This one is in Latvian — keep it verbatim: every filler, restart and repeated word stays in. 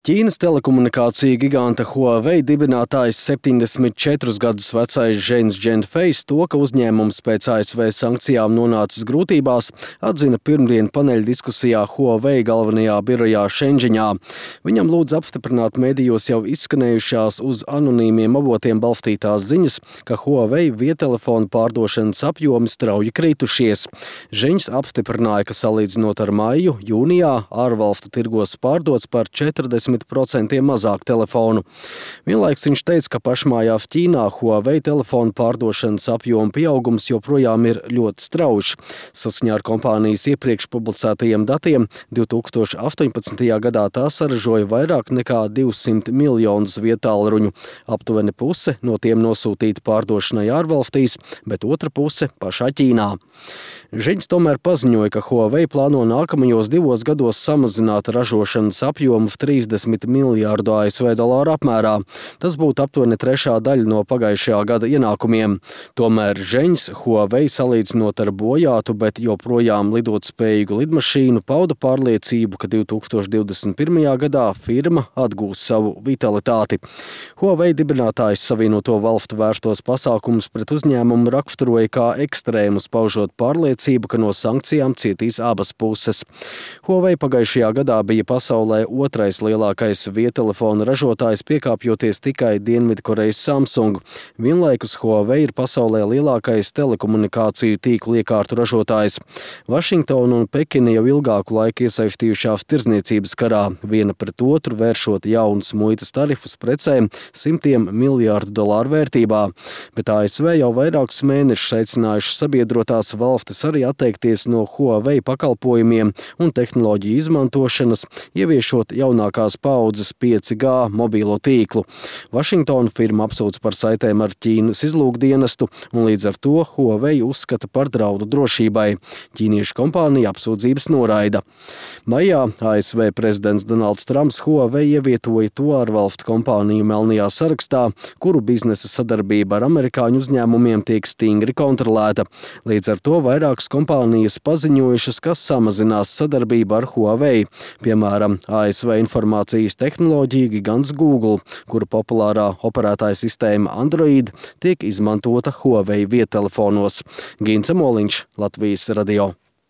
Ķīnas telekomunikāciju giganta Huawei dibinātājs septiņdesmit četrus gadus vecais Zhengs Zhenfeis to, ka uzņēmums pēc A S V sankcijām nonācis grūtībās, atzina pirmdien paneļa diskusijā Huawei galvenajā birojā Šenžeņā. Viņam lūdz apstiprināt medijos jau izskanējušās uz anonīmiem avotiem balstītās ziņas, ka Huawei viedtelefonu pārdošanas apjomi strauji kritušies. Zhengs apstiprināja, ka salīdzinot ar maiju, jūnijā ārvalstu tirgos pārdots par četrdesmit procenti mazāk telefonu. Vienlaiks viņš teica, ka pašmājās Ķīnā Huawei telefonu pārdošanas apjoma pieaugums joprojām ir ļoti strauji. Saskaņā ar kompānijas iepriekš publicētajiem datiem divi tūkstoši astoņpadsmitajā gadā tā saražoja vairāk nekā divsimt miljonus viedtālruņu. Aptuveni puse no tiem nosūtīta pārdošanai ārvalstīs, bet otra puse pašā Ķīnā. Zhengs tomēr paziņoja, ka Huawei plāno nākamajos divos gados samazināt ražošanas apjomu trīsdesmit miljārdu A S V dolāru apmērā. Tas būtu aptuveni trešā daļa no pagājušajā gada ienākumiem. Tomēr Zhengs Huawei salīdzinot ar bojātu, bet joprojām lidot spējīgu lidmašīnu pauda pārliecību, ka divi tūkstoši divdesmit pirmajā gadā firma atgūs savu vitalitāti. Huawei dibinātājs Savienoto Valstu vērstos pasākumus pret uzņēmumu raksturoja kā ekstrēmus, paužot pārliecību, ka no sankcijām cietīs abas puses. Huawei pagājušajā gadā bija pasaulē otrais lielākais viedtelefonu ražotājs, piekāpjoties tikai Dienvidkorejas Samsung. Vienlaikus Huawei ir pasaulē lielākais telekomunikāciju tīklu iekārtu ražotājs. Vašingtona un Pekina jau ilgāku laiku iesaistījušās tirdzniecības karā, viena pret otru vēršot jaunus muitas tarifus precēm simtiem miljārdu dolāru vērtībā. Bet A S V jau vairākus mēnešus aicinājušas sabiedrotās valstis arī atteikties no Huawei pakalpojumiem un tehnoloģiju izmantošanas, ieviešot jaunākās paaudzes pieci G mobīlo tīklu. Vašingtonu firma apsūdz par saitēm ar Ķīnas izlūkdienestu un līdz ar to Huawei uzskata par draudu drošībai. Ķīniešu kompānija apsūdzības noraida. Maijā A S V prezidents Donalds Trumps Huawei ievietoja to ārvalstu kompāniju melnajā sarakstā, kuru biznesa sadarbība ar amerikāņu uzņēmumiem tiek stingri kontrolēta. Līdz ar to vairākas kompānijas paziņojušas, ka samazinās sadarbību ar Huawei. Piemēram, A S V informācijas tehnoloģija gigants Google, kura populārā operētāja sistēma Android tiek izmantota Huawei viedtelefonos. Gints Moliņš, Latvijas radio.